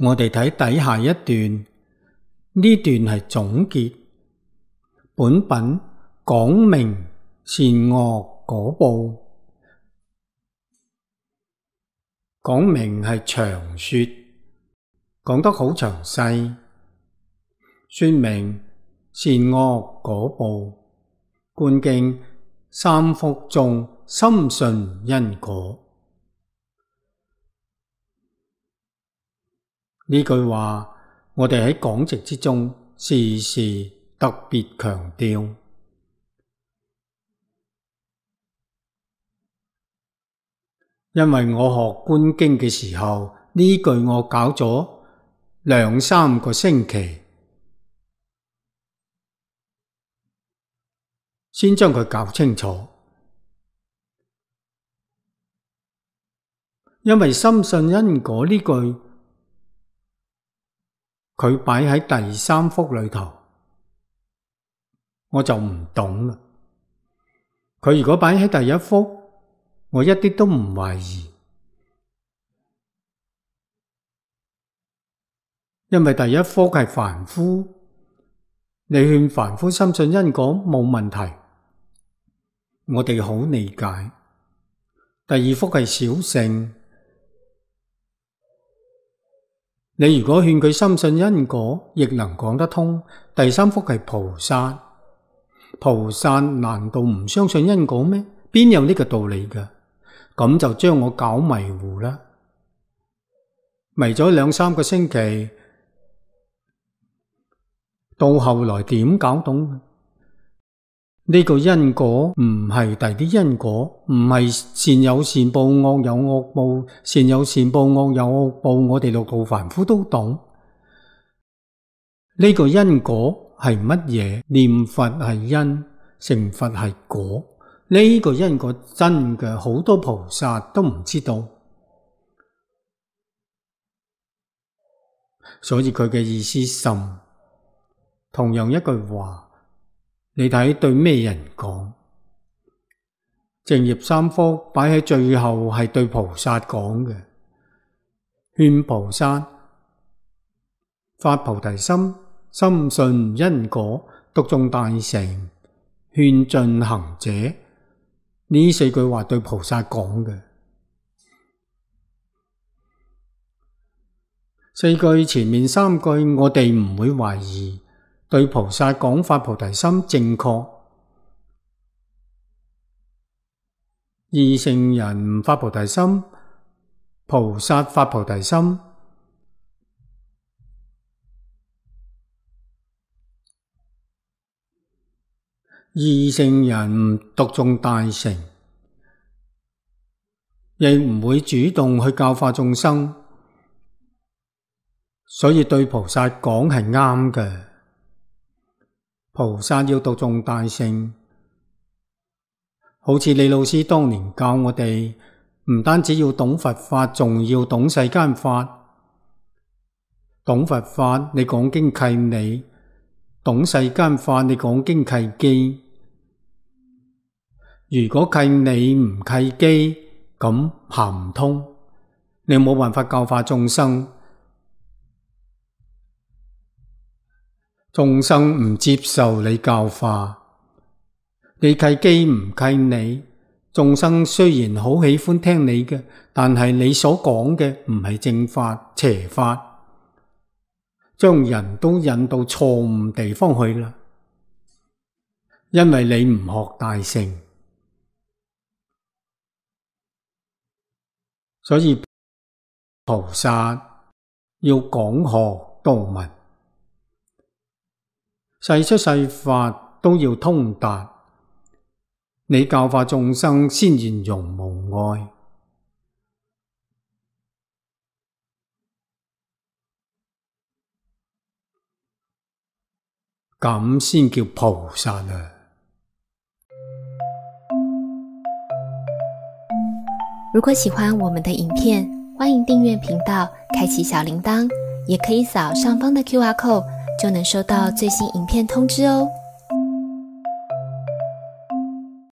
我哋睇底下一段，呢段係總結。本品講明善惡果報，講明係長說，講得好詳細，說明善惡果報。觀經三福中深信因果。呢句話我哋喺講席之中時時特別強調，因為我學觀經嘅時候，呢句我搞咗2-3個星期，先將佢搞清楚。因為深信因果呢句，佢擺喺第3福裏頭，我就唔懂啦。佢如果擺喺第1福，我一啲都唔懷疑，因為第1福係凡夫，你勸凡夫深信因果冇問題，我哋好理解。第2福係小乘，你如果勸佢深信因果，亦能講得通。第3福係菩薩，菩薩難道唔相信因果咩？邊有呢個道理㗎？咁就將我搞迷糊啦，迷咗2-3個星期，到後來點搞懂？呢個因果唔係第啲因果，唔係善有善報，惡有惡報，善有善報，惡有惡報，我哋六道凡夫都懂。呢個因果係乜嘢？念佛係因，成佛係果。呢個因果真嘅，好多菩薩都唔知道。所以佢嘅意思深。同樣一句話，你睇對咩人講？淨業3福擺喺最後係對菩薩講嘅，勸菩薩發菩提心，深信因果，讀誦大乘，勸進行者。呢4句話對菩薩講嘅。4句前面3句我哋唔會懷疑，對菩薩講發菩提心正確。二乘人唔發菩提心，菩薩發菩提心。二乘人唔讀誦大乘，亦唔會主動去教化眾生，所以對菩薩講係啱嘅。菩薩要讀誦大乘，好似李老師當年教我哋，唔單止要懂佛法，仲要懂世間法。懂佛法，你講經契理；懂世間法，你講經契機。如果契理唔契機，咁行唔通，你冇辦法教化眾生。眾生唔接受你教化，你契機唔契理，眾生雖然好喜歡聽你嘅，但係你所講嘅唔係正法，邪法，將人都引到錯誤地方去啦。因為你唔學大乘，所以菩薩要講學度聞，世出世法都要通達，你教化眾生先圓融無礙，咁先叫菩薩啊！如果喜歡我們的影片，歡迎訂閱頻道，開啟小鈴鐺，也可以掃上方的QR code，就能收到最新影片通知哦。